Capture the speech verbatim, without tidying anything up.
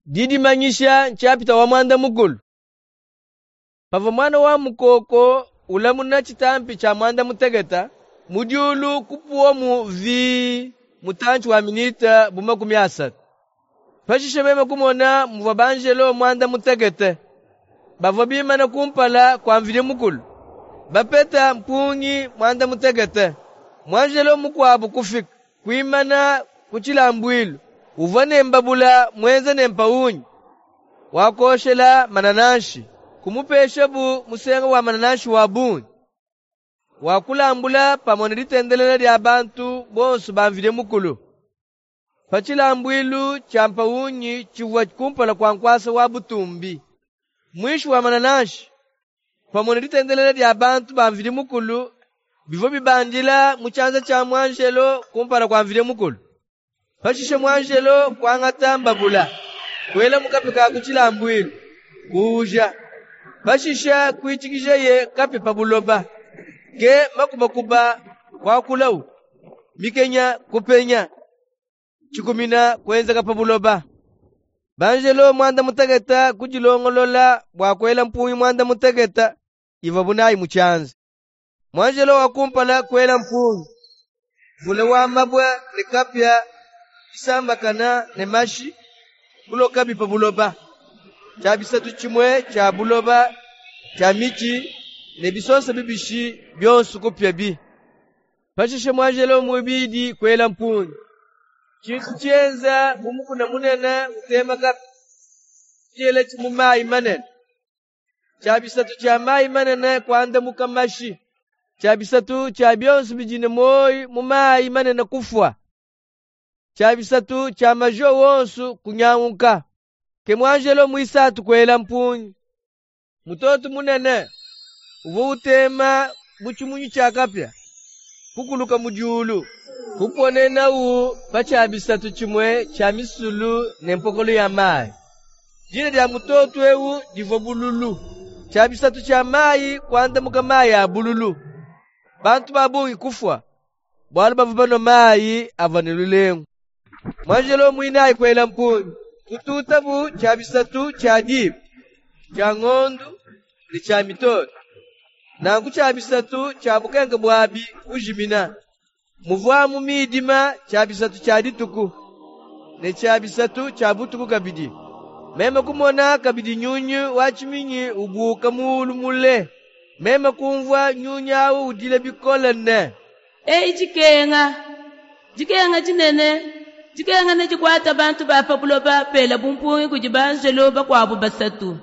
Didimanyisha nshapita wa muanda mukulu. Pavua muana wa mukoko ulamuna tshitampi tshia muanda mutekete, mu diulu kupuwamu vii mutantshi wa minite bu makumi asatu. Pashishe meme kumona muvua banjelo muanda mutekete bavua bimane kumpala kua Mvidi Mukulu, bapeta mpungi muanda mutekete. Muanjelo mukuabu kufika, kuimana ku tshilambuilu. Uvua ne mbabula muenza ne mpawungi wa kuoshela manananshi. Kumupeshabu musenga wa manananshi wa bungi, wa kulambula pamue ne ditendelela dia bantu bonsu ba Mvidi Mukulu, pa tshilambuilu tshia mpawungi tshivua kumpala kua nkuasa wa butumbi. Muinshi wa manananshi, pamue ne ditendelela dia bantu ba Mvidi Mukulu, bivua bibandila mu tshianza tshia muanjelo kumpala kua Mvidi Mukulu. Pashishe muanjelo kuangata mbabula, kuela mu kapia ka ku tshilambuilu, kuuja. Pashishe kuitshikijaye kapia pa buloba. Ke makubakuba kuakulawu, mikenya kupenya, tshikumina kuenzeka pa buloba. Banjelo muanda mutekete kudilongolola bua kuela mpungi muanda mutekete ivuabu nayi mu tshianza. Muanjelo wa kumpala kuela mpungi, mvula wa mabue ne kapia bisambakana ne mashi kulokabi pa buloba. Tshia bisatu tshimue tshia buloba tshia mitshi ne bisonsa bibishi bionso kupiabi. Pashishe muanjelo muibidi kuela mpungi, tshintu tshienza bu mukuna munene utema kapia, kudielatshi mu mayi manene. Tshia bisatu tshia mayi manene kuandamuka mashi. Tshia bisatu tshia bionso bidi ne muoyo mu mayi manene kufua. Tshia bisatu tshia majuwa wonso kunyanguka. Ke muanjelo muisatu kuela mpungi. Mutoto munene uvua utema bu tshimunyi tshia kapia, kukuluka mu diulu, kuponenawu pa tshia bisatu tshimue tshia misulu ne mpokolo ya mayi. Dina dia mutoto ewu divua bululu. Tshia bisatu tshia mayi kuandamuka mayi a bululu. Bantu ba bungi kufua, bualu bavua banua mayi avua ne lulengu. Muanjelo muinayi kuela mpungi, kututabu tshia bisatu tshia diba, tshia ngondu ne tshia mitoto. Nanku tshia bisatu tshia bukenke buabi kujimina. Muvuamu midima tshia bisatu tshia dituku, ne tshia bisatu tshia butuku kabidi. Meme kumona kabidi nyunyu wa tshiminyi ubuuka mulu mule. Meme kumvua nyunyu awu udila bikole ne: Eyi dikenga, dikenga dinene, dikenga nedikuate bantu ba pa buloba pelabu mpungi kudi banjelo bakuabu basatu.